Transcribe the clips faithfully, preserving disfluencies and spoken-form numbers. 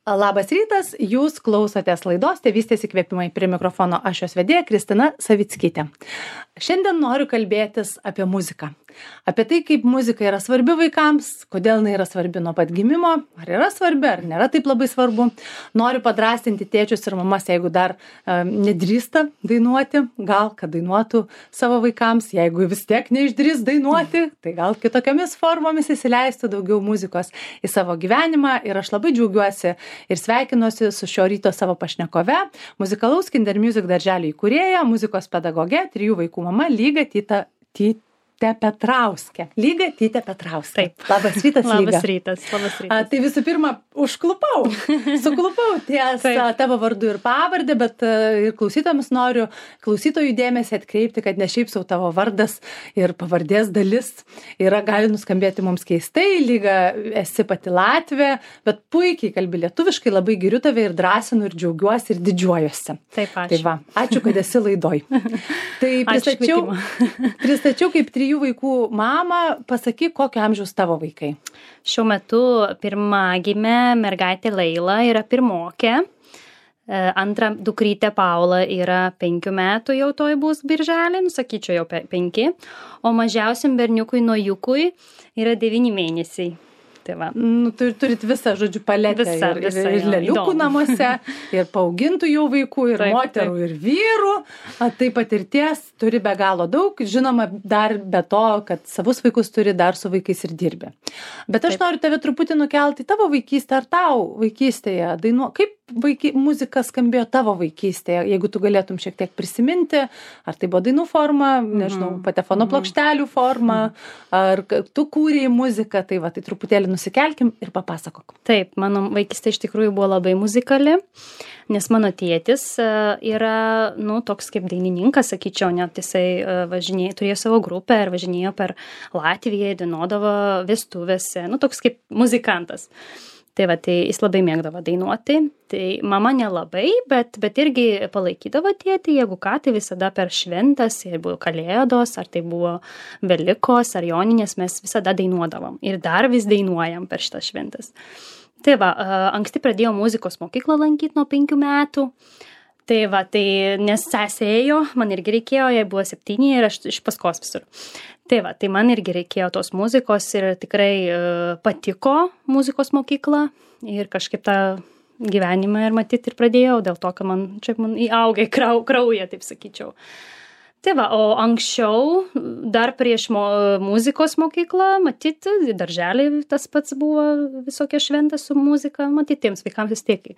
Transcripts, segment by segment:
Labas rytas, jūs klausotės laidos Tėvystės įkvėpimai, prie mikrofono aš jos vedėja Kristina Savickytė. Šiandien noriu kalbėtis apie muziką. Apie tai, kaip muzika yra svarbi vaikams, kodėl jinai yra svarbi nuo pat gimimo, ar yra svarbi, ar nėra taip labai svarbu. Noriu padrastinti tėčius ir mamas, jeigu dar um, nedrįsta dainuoti, gal kad dainuotų savo vaikams, jeigu vis tiek neišdrįs dainuoti, tai gal kitokiamis formomis įsileistų daugiau muzikos į savo gyvenimą. Ir aš labai džiaugiuosi ir sveikinuosi su šio ryto savo pašnekove, muzikalaus Kinder Music darželio įkūrėja, muzikos pedagoge, trijų vaikų mama Lyga Tyta Tyta Petrauskė. Lyga Tyta Petrauskė. Taip. Labas rytas, Lyga. Labas rytas, labas rytas. A, tai visų pirma, užklupau, suklupau ties a, tavo vardu ir pavardę, bet a, ir klausytojams noriu klausytojų dėmesį atkreipti, kad ne šiaip sau tavo vardas ir pavardės dalis yra, gali nuskambėti mums keistai. Lyga, esi pati Latvė, bet puikiai kalbi lietuviškai, labai giriu tave ir drąsinu ir džiaugiuosi ir didžiuojuosi. Taip, ačiū. Tai va, ačiū, kad esi laidoj. Tai pristačiau, pristačiau kaip trijų vaikų mamą, pasakyk, kokio amžiaus tavo vaikai. Šiuo metu pirmagimė mergaitė Leila yra pirmokė, antra dukrytė Paula yra penkių metų, jau toj bus birželį, nusakyčiau jau penki, o mažiausiam berniukui Nojukui yra devyni mėnesiai. Tai va. Nu, tur, turit visą, žodžiu, paletę. Visa, ir, visa, ir, ir leliukų namuose, ir paaugintų jau vaikų, ir taip, moterų, taip. Ir vyrų. A, taip patirties turi be galo daug. Žinoma, dar be to, kad savus vaikus turi, dar su vaikais ir dirbi. Bet aš taip. Noriu tave truputį nukelti tavo vaikystę, ar tau vaikystėje dainuo. Kaip vaiky, muzika skambėjo tavo vaikystėje, jeigu tu galėtum šiek tiek prisiminti, ar tai buvo dainų forma, nežinau, mm-hmm. patefono plokštelių forma, ar tu kūrei muziką, tai va, tai truputėlį nusikelkim ir papasakok. Taip, mano vaikystė iš tikrųjų buvo labai muzikali, nes mano tėtis yra, nu, toks kaip dainininkas, sakyčiau, net jisai važinėjo, turėjo savo grupę ir važinėjo per Latviją, dainuodavo vestuvėse, nu, toks kaip muzikantas. Tai va, tai jis labai mėgdavo dainuoti, tai mama nelabai, bet, bet irgi palaikydavo tėtį, jeigu ką, tai visada per šventas, ir buvo kalėdos, ar tai buvo Velykos, ar Joninės, mes visada dainuodavom ir dar vis dainuojam per šitas šventas. Tai va, anksti pradėjau muzikos mokyklą lankyti nuo penkių metų. Tai va, tai nes sesė ėjo, man irgi reikėjo, jai buvo septyni ir aš iš paskos visur. Tai va, tai man irgi reikėjo tos muzikos ir tikrai uh, patiko muzikos mokykla ir kažkaip tą gyvenimą ir matyti ir pradėjau, dėl to, kad man čia man įaugė krau, krauja, taip sakyčiau. Tai va, o anksčiau, dar prieš mo, muzikos mokyklą, matyti, darželį tas pats buvo visokia šventė su muzika, matyti, tiems vaikams vis tiek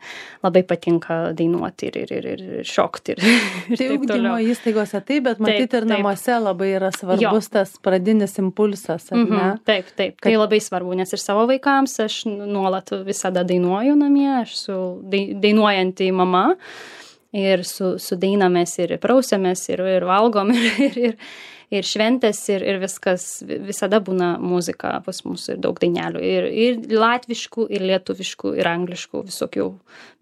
labai patinka dainuoti ir, ir, ir, ir šokti. Ir, ir tai ugdymo įstaigose taip, bet matyti taip, ir namuose taip. Labai yra svarbus jo. Tas pradinis impulsas, ar ne? Mm-hmm, taip, taip, kad... tai labai svarbu, nes ir savo vaikams aš nuolat visada dainuoju namie, aš su dainuojanti mama. Ir su, su dainamės ir prausiamės ir, ir valgom ir, ir, ir, ir šventės ir, ir viskas, visada būna muzika pas mus ir daug dainelių ir, ir latviškų, ir lietuviškų, ir angliškų, visokių,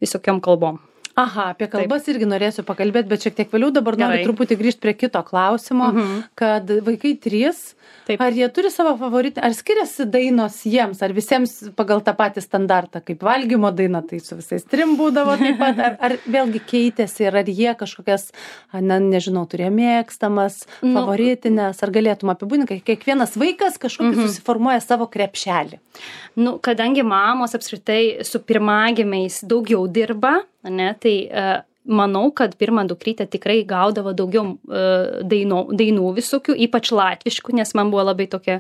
visokiom kalbom. Aha, apie kalbas taip. Irgi norėsiu pakalbėti, bet šiek tiek vėliau dabar noriu Gerai. Truputį grįžti prie kito klausimo, mhm. kad vaikai trys, taip. Ar jie turi savo favoritį, ar skiriasi dainos jiems, ar visiems pagal tą patį standartą, kaip valgymo daina, tai su visais trim būdavo taip pat, ar, ar vėlgi keitėsi ir ar jie kažkokias, ne, nežinau, turėjo mėgstamas, nu, favoritinės, ar galėtum apibūdinti, kiekvienas vaikas kažkokį mhm. susiformuoja savo krepšelį. Nu, kadangi mamos apskritai su pirmagimiais daugiau dirba, ne, tai uh, manau, kad pirmą dukrytę tikrai gaudavo daugiau uh, dainų, dainų visokių, ypač latviškų, nes man buvo labai tokia,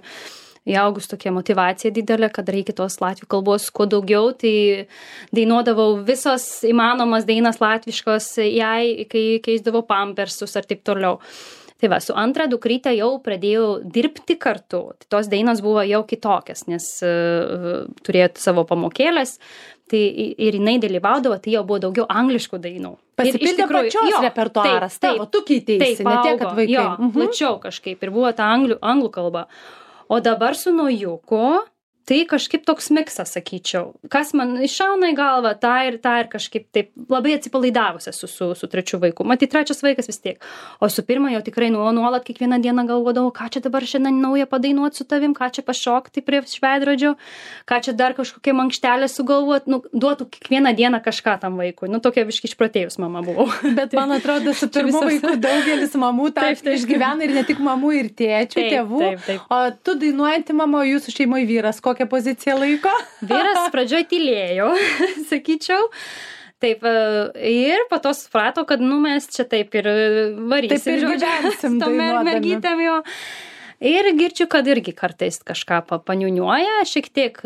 įaugus tokia motivacija didelė, kad reikia tos latvių kalbos kuo daugiau, tai dainuodavau visos įmanomas dainas latviškos jai, kai keisdavau pampersus ar taip toliau. Tai va, su antra dukrytė jau pradėjau dirbti kartu. Tai tos dainos buvo jau kitokias, nes uh, turėjo savo pamokėlės, tai ir jinai dalyvaudavo, tai jau buvo daugiau angliškų dainų. Pasipildė pačios jo, repertuaras, taip, tavo, tu keiteisi, ne tiek, kad vaikai. Jo, mhm. plačiau kažkaip ir buvo ta anglių, anglų kalba. O dabar su Nojuku, tai kažkaip toks miksas, sakyčiau. Kas man iššauna į galvą, tą ir tą ir kažkaip taip labai atsipalaidavusi su, su, su trečiu vaiku. Matai, trečias vaikas vis tiek. O su pirma jau tikrai nuolat kiekvieną dieną galvodavau, ką čia dabar šiandien naują padainuoti su tavim, ką čia pašokti prie šveidrodžio, ką čia dar kažkokia mankštelė sugalvoti, nu, duotų kiekvieną dieną kažką tam vaikui. Nu, tokia viškai išprotėjus mama buvau. Bet man atrodo, su pirmu vaiku daugelis mamų tą išgyvena ir ne tik mamų, ir tėčių, taip, tėvų. Taip, taip. O tu dainuojanti mama, o jūsų šeimoje vyras kokią poziciją laiko? Vyras pradžioj tylėjo, sakyčiau. Taip, ir po to suprato, kad nu mes čia taip ir varysim. Taip ir gyvensim dainuodami. Mergytėm jo. Ir girdžiu, kad irgi kartais kažką paniuniuoja, šiek tiek,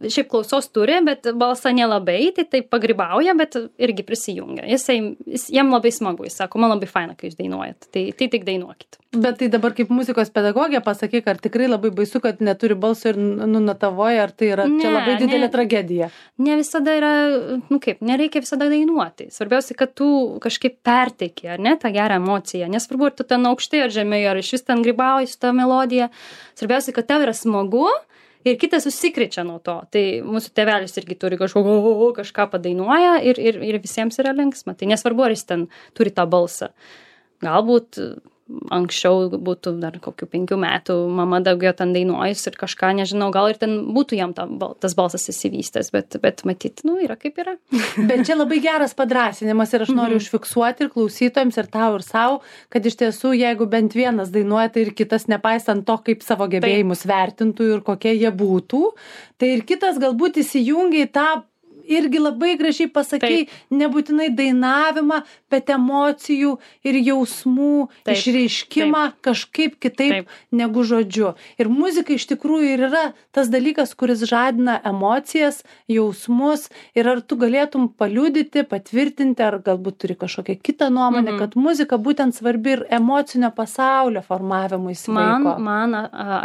šiaip klausos turi, bet balsą nelabai, tai taip pagrybauja, bet irgi prisijungia. Jisai, jis, jam labai smagu, jis sako, man labai faina, kai jūs dainuojat, tai, tai tik dainuokit. Bet tai dabar kaip muzikos pedagogė pasakyk, ar tikrai labai baisu, kad neturi balso ir nunatavoja, ar tai yra ne, čia labai didelė ne, tragedija? Ne visada yra, nu kaip, nereikia visada dainuoti. Svarbiausia, kad tu kažkaip perteiki, ar ne, tą gerą emociją. Nesvarbu, ar tu ten aukštai ar žemai, ar iš vis ten grybauji su tą melodiją. Svarbiausia, kad tau yra smagu. Ir kitas susikrečia nuo to. Tai mūsų tėvelis irgi turi kažko, kažką padainuoja ir, ir, ir visiems yra linksma. Tai nesvarbu, ar jis ten turi tą balsą. Galbūt anksčiau būtų dar kokių penkių metų mama daugiau ten dainuojus ir kažką, nežinau, gal ir ten būtų jam ta, tas balsas įsivystęs, bet, bet matyt, nu, yra kaip yra. Bet čia labai geras padrąsinimas ir aš noriu mm-hmm. užfiksuoti ir klausytojams, ir tau, ir savo, kad iš tiesų, jeigu bent vienas dainuoja, tai ir kitas, nepaisant to, kaip savo gebėjimus Taip. Vertintų ir kokie jie būtų, tai ir kitas galbūt įsijungia į tą irgi labai gražiai pasakai, Taip. Nebūtinai dainavimą, bet emocijų ir jausmų Taip. Išreiškimą Taip. Kažkaip kitaip Taip. Negu žodžiu. Ir muzika iš tikrųjų ir yra tas dalykas, kuris žadina emocijas, jausmus, ir ar tu galėtum paliudyti, patvirtinti, ar galbūt turi kažkokią kitą nuomonę, mm-hmm. kad muzika būtent svarbi ir emocinio pasaulio formavimui Man, vaiko. man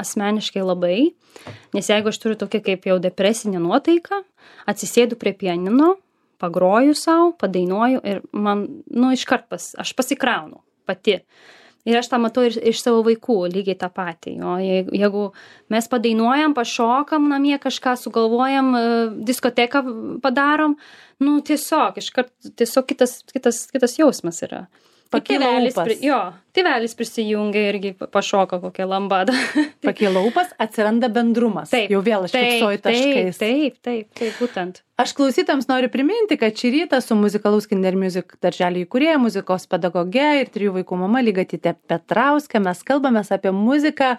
asmeniškai labai, nes jeigu aš turiu tokią kaip jau depresinę nuotaiką, atsisėdu prie pianino, pagroju savo, padainuoju ir man, nu, iškart pas, aš pasikraunu pati. Ir aš tą matau ir iš savo vaikų lygiai tą patį. O jeigu mes padainuojam, pašokam namie, kažką sugalvojam, diskoteką padarom, nu, tiesiog, iškart, tiesiog kitas, kitas, kitas jausmas yra. Pakyla ūpas. Jo, tėvelis prisijungia irgi pašoka kokią lambadą. Pakyla ūpas, atsiranda bendrumas. Taip, jau vėl aš fiksuoju taškais. Taip, taip, taip, būtent. Aš klausytams noriu priminti, kad šį rytą su Muzikalaus Kinder Music darželio įkūrėja, muzikos pedagoge ir trijų vaikų mama Lygatyte Petrauske mes kalbamės apie muziką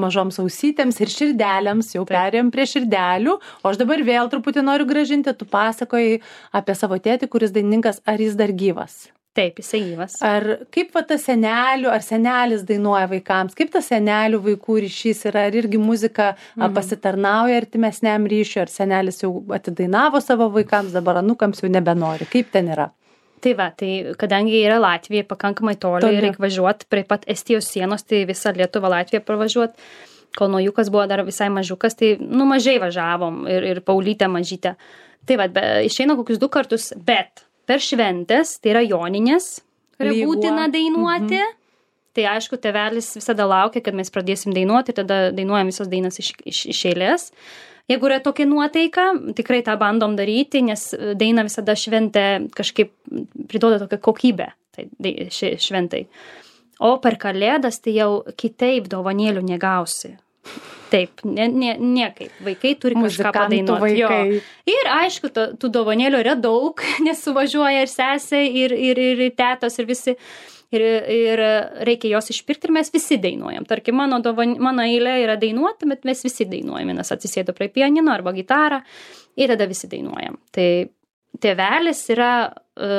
mažoms ausytėms ir širdelėms, jau perėjom prie širdelių, o aš dabar vėl truputį noriu grąžinti, tu pasakojai apie savo tėtį, kuris dainininkas, ar jis dar gyvas? Taip, jisai gyvas. Ar kaip va tas senelių, ar senelis dainuoja vaikams, kaip tas senelių vaikų ryšys yra, ar irgi muzika mm. pasitarnauja artimesniam ryšiui, ar senelis jau atidainavo savo vaikams, dabar anūkams jau nebenori, kaip ten yra? Tai va, tai kadangi yra Latvija pakankamai toli, toli. Reikia važiuoti prie pat Estijos sienos, tai visą Lietuvą Latviją pravažiuoti, kol Naujukas buvo dar visai mažiukas, tai nu mažai važiavom ir, ir Paulytė mažytė. Tai va, be, išeina kokius du kartus, bet per šventės, tai yra joninės, kurią būtina dainuoti. Mm-hmm. Tai aišku, tėvelis visada laukia, kad mes pradėsim dainuoti ir tada dainuojam visas dainas iš, iš, iš eilės. Jeigu yra tokia nuotaika, tikrai tą bandom daryti, nes daina visada šventė kažkaip priduoda tokią kokybę tai, ši, šventai. O per kalėdas tai jau kitaip dovanėlių negausi. Taip, ne, ne, niekaip. Vaikai turi kažką padainuoti. Jo. Ir aišku, to, tų dovanėlių yra daug, nes suvažiuoja ir sesė, ir, ir, ir tetos, ir visi. Ir, ir reikia jos išpirkti ir mes visi dainuojam. Tarkim, mano, dovan, mano eilė yra dainuoti, bet mes visi dainuojam. Vienas atsisėdo prie pianino arba gitarą ir tada visi dainuojam. Tai tėvelis yra,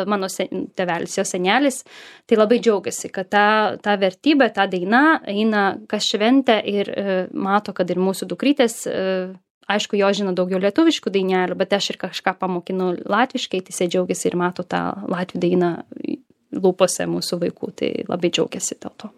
mano sen, tėvelis, jo senelis, tai labai džiaugiasi, kad ta, ta vertybė, ta daina eina kas šventę ir e, mato, kad ir mūsų dukrytės, e, aišku, jo žino daugiau lietuviškų dainelių, bet aš ir kažką pamokinu latviškai, tai jisai džiaugiasi ir mato tą latvių dainą lūpose mūsų vaikų, tai labai džiaugiasi dėl to.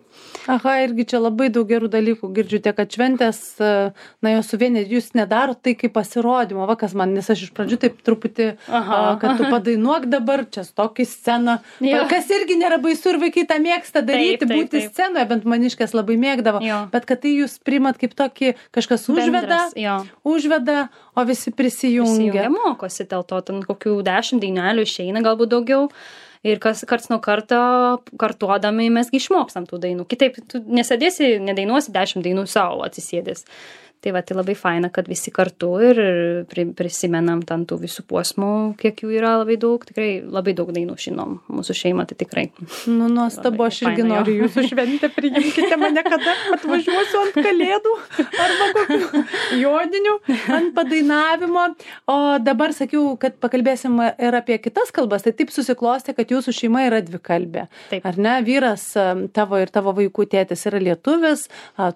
Aha, irgi čia labai daug gerų dalykų girdžiu, tiek kad šventės, na, jos suvienė, jūs nedaro tai kaip pasirodymo, va kas man, nes aš iš pradžių taip truputį, Aha. kad tu padainuok dabar, čia tokį sceną, jo. Kas irgi nėra baisu ir vaikai tą mėgsta daryti, taip, taip, būti taip. Scenoje, bent maniškės labai mėgdavo, jo. Bet kad tai jūs primat kaip tokį, kažkas užveda, Bendras, užveda, o visi prisijungia. Prisijungia, mokosi dėl to, ten kokių dešimt dainelių išeina, galbūt daugiau. Ir kas karts nuo karto kartuodami mesgi išmokstam tų dainų. Kitaip, tu nesėdėsi, nedainuosi dešimt dainų savo atsisėdęs. Tai va, tai labai faina, kad visi kartu ir prisimenam ten tų visų posmų, kiek jų yra labai daug. Tikrai labai daug dainų žinom. Mūsų šeima tai tikrai. Nu, nuostabu, aš irgi faina, noriu jūsų šventę, priimkite mane kada atvažiuosiu ant kalėdų arba kokių joninių, ant padainavimo. O dabar sakiau, kad pakalbėsim ir apie kitas kalbas. Tai taip susiklostė, kad jūsų šeima yra dvikalbė. Taip. Ar ne? Vyras tavo ir tavo vaikų tėtis yra lietuvis,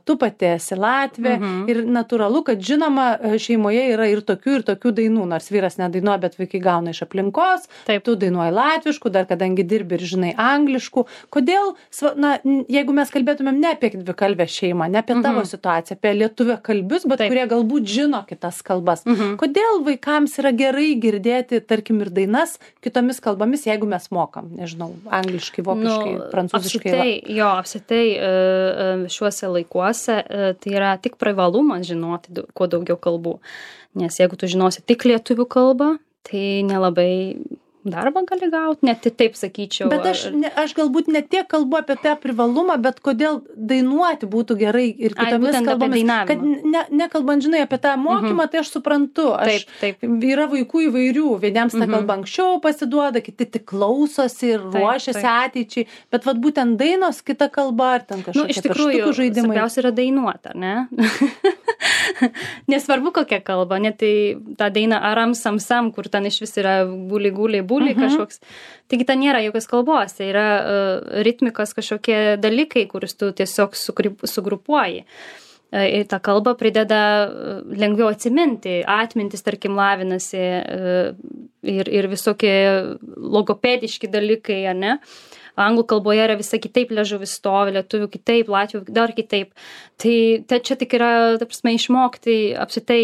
tu pati esi Latvė. Mhm. Ir natūralu, kad žinoma, šeimoje yra ir tokių, ir tokių dainų, nors vyras nedainuoja, bet vaikai gauna iš aplinkos, taip. Tu dainuoji latviškų, dar kadangi dirbi ir žinai angliškų. Kodėl, na, jeigu mes kalbėtumėm ne apie dvikalbę šeimą, ne apie tavo mhm. situaciją, apie lietuvę kalbius, bet taip. Kurie galbūt žino kitas kalbas, mhm. kodėl vaikams yra gerai girdėti, tarkim, ir dainas kitomis kalbomis, jeigu mes mokam, nežinau, angliškai, vokiškai, nu, prancūziškai? Apsitai, jo, apsitai šiuose laikuose tai yra tik privalumas žinoti kuo daugiau kalbų. Nes jeigu tu žinosi tik lietuvių kalbą, tai nelabai darbą gali gauti, net taip sakyčiau. Bet aš, ne, aš galbūt ne tiek kalbu apie tą privalumą, bet kodėl dainuoti būtų gerai ir kitomis Ai, kalbomis. Kad ne, nekalbant, žinai, apie tą mokymą, mm-hmm. tai aš suprantu. Aš, taip, taip. Yra vaikų įvairių, vieniems ta mm-hmm. kalba anksčiau pasiduoda, kiti tik klausosi ir taip, ruošiasi taip. Ateičiai. Bet vat būtent dainos kita kalba, ar ten kažkokie nu, iš tikrųjų, žaidimai. Svarbiausia yra dainuoti, ar ne? Nesvarbu kokia kalba, net tai ta daina aram sam sam, kur ten iš vis yra guli guli buli mhm. kažkoks. Taigi ten nėra jokios kalbos, tai yra uh, ritmikos kažkokie dalykai, kuris tu tiesiog sugrupuoji. Uh, ir ta kalba prideda uh, lengviau atsiminti, atmintis, tarkim, lavinasi uh, ir, ir visokie logopediški dalykai, ar ne? Anglų kalboje yra visai kitaip liežuvis stovi, lietuvių kitaip, latvių dar kitaip. Tai, tai čia tik yra, ta prasme, išmokti apsitai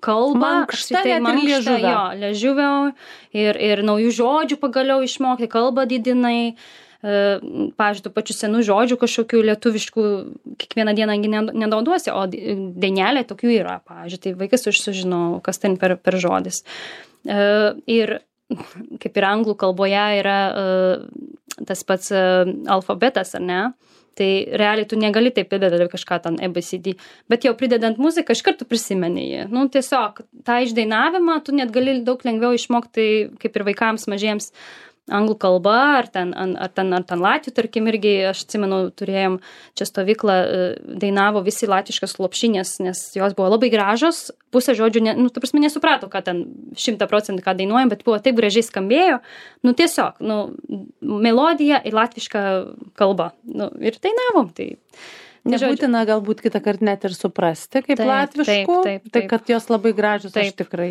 kalbą, mankštą, apsitai mankštą, jo, liežuvio ir, ir naujų žodžių pagaliau išmokti, kalbą didinai. Pavyzdžiui, tų pačių senų žodžių kažkokių lietuviškų kiekvieną dieną nenaudosi, o dainelė tokių yra. Pavyzdžiui, tai vaikas užsužino, kas ten per, per žodis. Ir kaip ir anglų kalboje yra tas pats alfabetas, ar ne? Tai realiai tu negali taip pridedati kažką ten A B C D, bet jau pridedant muziką, iš karto prisimeni jį. Nu, tiesiog tą išdainavimą tu net gali daug lengviau išmokti, kaip ir vaikams mažiems, anglų kalba, ar ten, ar ten, ar ten latvių, tarkim, irgi, aš atsimenu, turėjom čia stovyklą, dainavo visi latviškas lopšinės, nes jos buvo labai gražios, pusę žodžių, ne, nu, ta prasme, nesuprato, ką ten šimtą procentų ką dainuojam, bet buvo taip gražiai skambėjo, nu, tiesiog, nu, melodija į latvišką kalbą, nu, ir dainavom, tai... Nebūtina galbūt kitą kartą net ir suprasti, kaip taip, latviškų, taip, taip, taip. Tai kad jos labai gražios, taip. Aš tikrai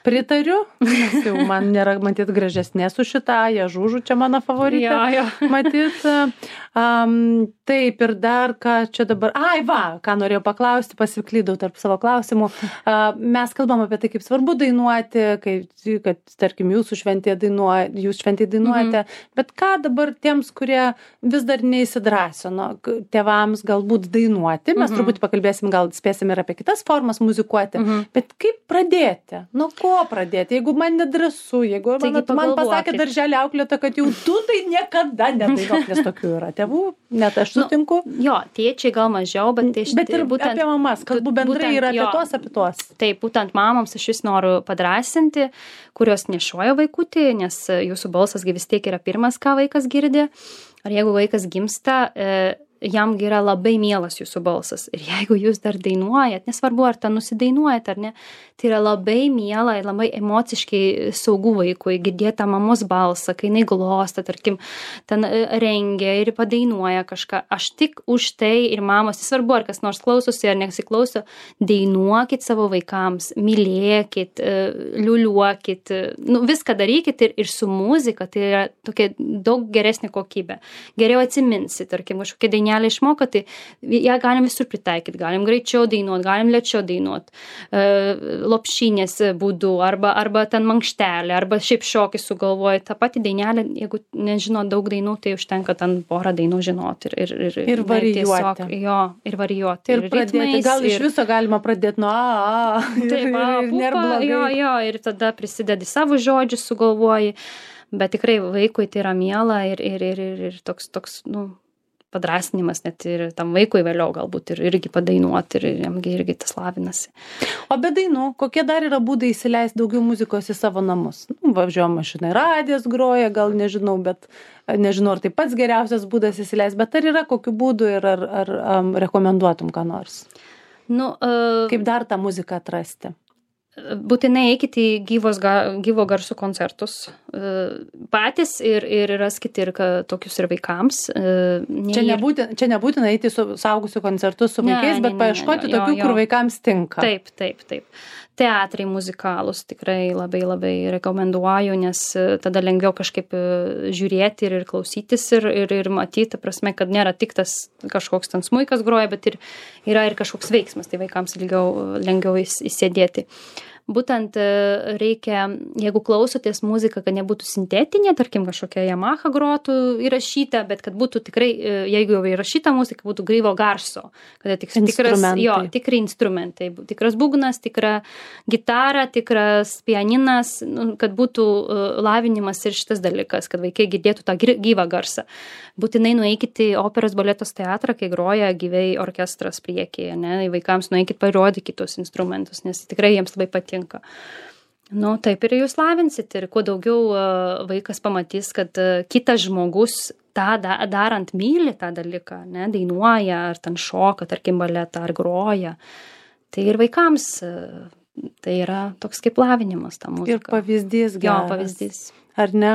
pritariu, nes jau man nėra matyt gražesnė su šitą, jie žūžų, čia mano favoritė, ja, ja. Matyt. Um, taip, ir dar ką čia dabar, ai va, ką norėjau paklausti, pasiklydau tarp savo klausimų. Uh, mes kalbam apie tai, kaip svarbu dainuoti, kaip, kad, tarkim, jūsų šventėje dainuoja, jūs šventėje dainuojate, mm-hmm. bet ką dabar tiems, kurie vis dar neįsidrasino, tėvams galbūt dainuoti, mes mhm. truputį pakalbėsim, gal spėsim ir apie kitas formas muzikuoti, mhm. bet kaip pradėti? Nu, ko pradėti? Jeigu man nedrąsu, jeigu man, man pasakė darželį auklėta, kad jau tu tai niekada nedainuok, nes tokių yra tėvų, net aš sutinku. Nu, jo, tėčiai gal mažiau, bet, tai bet ir būtent, apie mamas, kalbu bendrai ir apie jo, tuos, apie tuos. Taip, būtent mamoms aš vis noriu padrasinti, kurios nešioja vaikutį, nes jūsų balsas vis tiek yra pirmas, ką vaikas girdi. Ar jeigu vaikas gimsta, jam yra labai mielas jūsų balsas. Ir jeigu jūs dar dainuojat, nesvarbu, ar ten nusidainuojat ar ne, tai yra labai miela ir labai emociškai saugu vaikui girdėti tą mamos balsą, kai jinai glosta, tarkim, ten rengia ir padainuoja kažką. Aš tik už tai ir mamos, nesvarbu, ar kas nors klausosi ar nesiklauso, dainuokit savo vaikams, mylėkit, liuliuokit, nu, viską darykit ir, ir su muzika, tai yra tokia daug geresnė kokybė. Geriau atsiminsit, tarkim, kažkokia dainelė išmoka, tai ją galim visur pritaikyti, galim greičiau dainuot, galim lėčiau dainuot, e, lopšinės būdu, arba, arba ten mankštelė, arba šiaip šokį sugalvoja. Ta pati dainelė, jeigu nežino daug dainų, tai užtenka ten porą dainų žinoti. Ir, ir, ir, ir varijuoti. Tiesiog, jo, ir varijuoti. Ir, ir pradėti, ritmais, gal iš viso galima pradėti nuo a, a, ir, taip, a, ir nėra blogai. Jo, jo, ir tada prisidedi savo žodžius, sugalvoji, bet tikrai vaikui tai yra miela ir, ir, ir, ir, ir toks, toks, nu, padrasinimas net ir tam vaikui vėliau galbūt ir irgi padainuoti ir jamgi irgi tas lavinasi. O be dainų, kokie dar yra būdai įsileisti daugiau muzikos į savo namus? Nu, važiuoja mašinai, radijas groja, gal nežinau, bet nežinau, ar tai pats geriausias būdas įsileisti, bet ar yra kokių būdų ir ar, ar um, rekomenduotum ką nors? Nu, uh, Kaip dar tą muziką atrasti? Būtinai eikit į gyvos, gyvo garsų koncertus patys ir, ir raskite ir tokius ir vaikams. Ne čia, nebūtina, čia nebūtina eiti su saugusių koncertus su vaikais, ne, bet ne, paieškoti ne, ne, tokių, jo, jo. Kur vaikams tinka. Taip, taip, taip. Teatrai muzikalus tikrai labai labai rekomenduoju, nes tada lengviau kažkaip žiūrėti ir, ir klausytis ir, ir, ir matyti, prasme, kad nėra tik tas kažkoks ten smuikas groja, bet ir yra ir kažkoks veiksmas, tai vaikams ilgiau, lengviau įsėdėti. Būtent reikia, jeigu klausotės muziką, kad nebūtų sintetinė, tarkim, kažkokia Yamaha grotų įrašyta, bet kad būtų tikrai, jeigu jau įrašyta muzika, būtų gyvo garso, kad tik, tikras, jo, tikrai instrumentai, tikras būgnas, tikra gitara, tikras pianinas, kad būtų lavinimas ir šitas dalykas, kad vaikai girdėtų tą gyvą garsą. Būtinai nueikit į operos baletos teatrą, kai groja gyvai orkestras priekyje, ne, vaikams nueikit parodykit tos instrumentus, nes tikrai jiems labai patinka. Nu, taip ir jūs lavinsit ir kuo daugiau vaikas pamatys, kad kitas žmogus tą darant myli tą dalyką, ne, dainuoja ar ten šoka, tarkim, baletą ar groja, tai ir vaikams tai yra toks kaip lavinimas ta muzika. Ir pavyzdys geras. Jo, pavyzdys. Ar ne?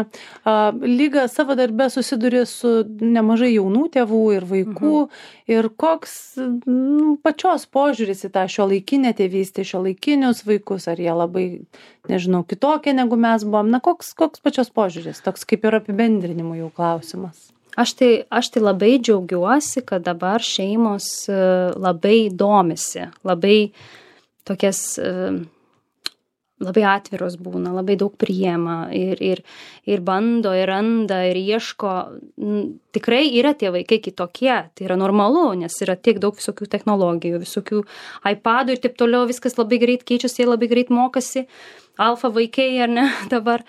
Lyga savo darbe susiduri su nemažai jaunų tėvų ir vaikų. Mhm. Ir koks nu, pačios požiūris į tą šiuolaikinę tėvystę, šiuolaikinius vaikus, ar jie labai, nežinau, kitokie negu mes buvom. Na, koks, koks pačios požiūris? Toks kaip ir apibendrinimų jau klausimas. Aš tai, aš tai labai džiaugiuosi, kad dabar šeimos labai domisi, labai tokias... labai atviros būna, labai daug priema ir, ir, ir bando, ir randa, ir ieško. Tikrai yra tie vaikai kitokie, tai yra normalu, nes yra tiek daug visokių technologijų, visokių iPadų ir taip toliau, viskas labai greit keičiasi, labai greit mokasi, alfa vaikai ar ne dabar.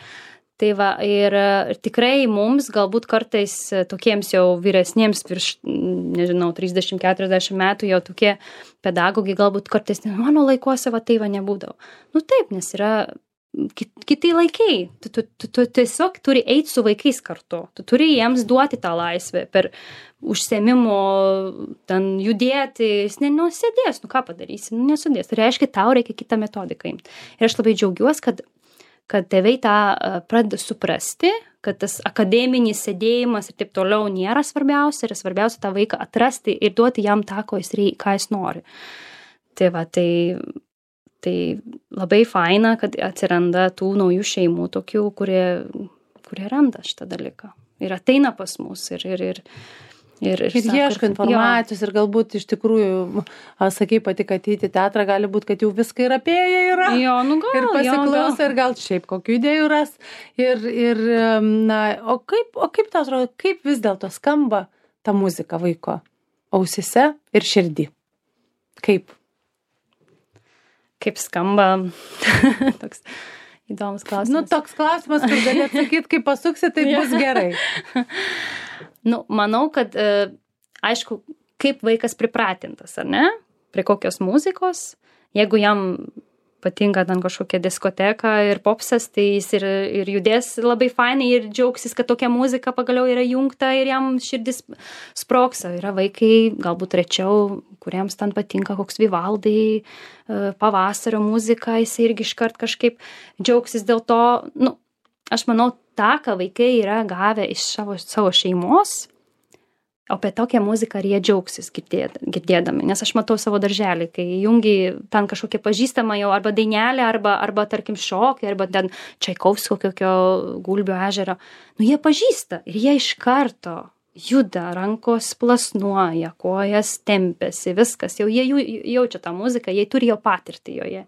Tai va, ir, ir tikrai mums galbūt kartais tokiems jau vyresniems virš, nežinau, trisdešimt keturiasdešimt metų jau tokie pedagogai galbūt kartais mano laikuose va tai va nebūdavo. Nu taip, nes yra kiti laikai. Tu, tu, tu, tu tiesiog turi eiti su vaikais kartu. Tu turi jiems duoti tą laisvę per užsiėmimo, ten judėti. Jis nenusėdės, nu ką padarysi, nu nesudės. Tai reiškia, tau reikia kitą metodiką imti. Ir aš labai džiaugiuosi, kad kad tėvai tą pradeda suprasti, kad tas akademinis sėdėjimas ir taip toliau nėra svarbiausia, ir svarbiausia tą vaiką atrasti ir duoti jam tą, ko jis, reik, ką jis nori. Tai va, tai, tai labai faina, kad atsiranda tų naujų šeimų, tokių, kurie, kurie randa šitą dalyką. Ir ateina pas mus ir... ir, ir Ir, ir, ir ieško informacijos jo. Ir galbūt iš tikrųjų, sakai pati, kad ateiti į teatrą gali būti, kad jau viską ir apėję yra. Jo, nu gal, ir pasiklauso, jo, gal. Ir gal šiaip kokių idėjų ras. Ir, ir na, o kaip, o kaip tau atrodo, kaip vis dėlto skamba ta muzika vaiko ausise ir širdį? Kaip? Kaip skamba? Toks įdomus klausimas. Nu, toks klausimas, kur gali atsakyti, kaip pasuksi, tai bus gerai. Nu, manau, kad, e, aišku, kaip vaikas pripratintas, ar ne, prie kokios muzikos, jeigu jam patinka ten kažkokia diskoteka ir popsas, tai jis ir, ir judės labai fainai ir džiaugsis, kad tokia muzika pagaliau yra jungta ir jam širdis sprogsa. Yra vaikai, galbūt rečiau, kuriems ten patinka koks Vivaldai, pavasario muzika, jis irgi iškart kažkaip džiaugsis dėl to. Nu, aš manau, tą, ką vaikai yra gavę iš savo, savo šeimos, o apie tokią muziką ar jie džiaugsis girdėdami. Nes aš matau savo darželį, kai jungi ten kažkokia pažįstama jau arba dainelė, arba, arba tarkim šokį, arba ten Čaikovskio kokio Gulbio ežero. Nu, jie pažįsta ir jie iš karto juda, rankos plasnuoja, kojas tempėsi, viskas. Jau jie jaučia tą muziką, jie turi jau patirtį joje.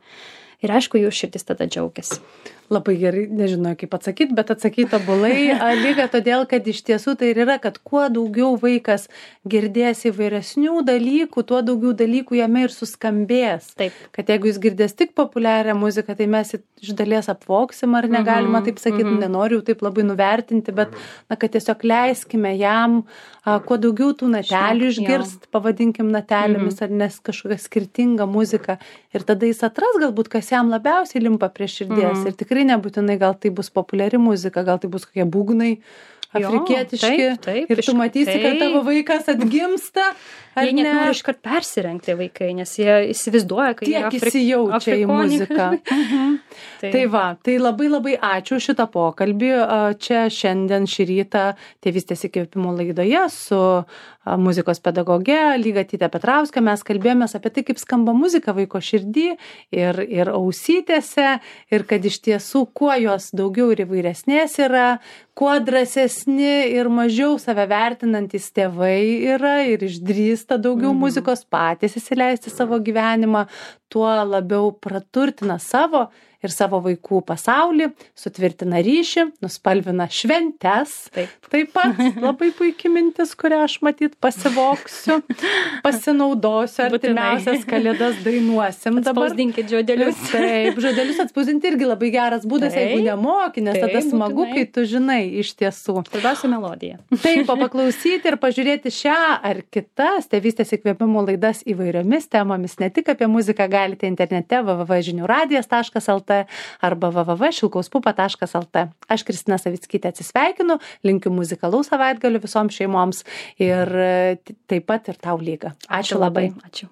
Ir aišku, jų širdis tada džiaugiasi. Labai gerai, nežinau kaip atsakyti, bet atsakyti tobulai, lyga todėl, kad iš tiesų tai ir yra, kad kuo daugiau vaikas girdės įvairesnių dalykų, tuo daugiau dalykų jame ir suskambės. Taip. Kad jeigu jis girdės tik populiarią muziką, tai mes iš dalies apvoksim, ar negalima taip sakyti, mm-hmm. nenoriu taip labai nuvertinti, bet na, kad tiesiog leiskime jam a, kuo daugiau tų natelių išgirst, pavadinkim natelėmis, mm-hmm. ar nes kažkokia skirtinga muzika. Ir tada jis atras galbūt, kas jam labiausiai limpa prie širdies. Mm-hmm. Ir tikrai nebūtinai gal tai bus populiari muzika, gal tai bus kokie būgnai afrikietiški. Jo, taip, taip, ir tu matysi, taip. Kad tavo vaikas atgimsta. Jie net nori iškart persirengti vaikai, nes jie įsivaizduoja, kad jie Afrik... įsijaučia į muziką. tai. tai va, tai labai labai ačiū šitą pokalbį. Čia šiandien šį rytą Tėvystės įkvėpimo laidoje su muzikos pedagoge Lygatyte Petrauske mes kalbėjomės apie tai, kaip skamba muzika vaiko širdį ir, ir ausytėse, ir kad iš tiesų kuo jos daugiau ir įvairesnės yra, kuo drąsesni ir mažiau save vertinantys tėvai yra ir išdrįsta daugiau mm-hmm. muzikos patys įsileisti savo gyvenimą, tuo labiau praturtina savo ir savo vaikų pasaulį, sutvirtina ryšį, nuspalvina šventes. Taip, Taip pat labai puikiai mintis, kurią aš matyt pasivoksiu, pasinaudosiu, artimiausias kalėdas dainuosim. Atspausdinkit žodelius. Taip, žodelius atspausdinti irgi labai geras būdas, Taip. Jeigu nemoki, nes Taip, tada smagu, būtinai. Kai tu žinai iš tiesų. Svarbiausia melodija. Taip, o paklausyti ir pažiūrėti šią ar kitas Tėvystės įkvėpimo laidas įvairiomis temomis, ne tik apie muziką galite internete w w w taškas žinių radijas taškas l t arba w w w taškas šilkauspupa taškas l t. Aš Kristina Savickytė atsisveikinu, linkiu muzikalaus savaitgalio visoms šeimoms ir taip pat ir tau Lyga. Ačiū, Ačiū labai. Ačiū.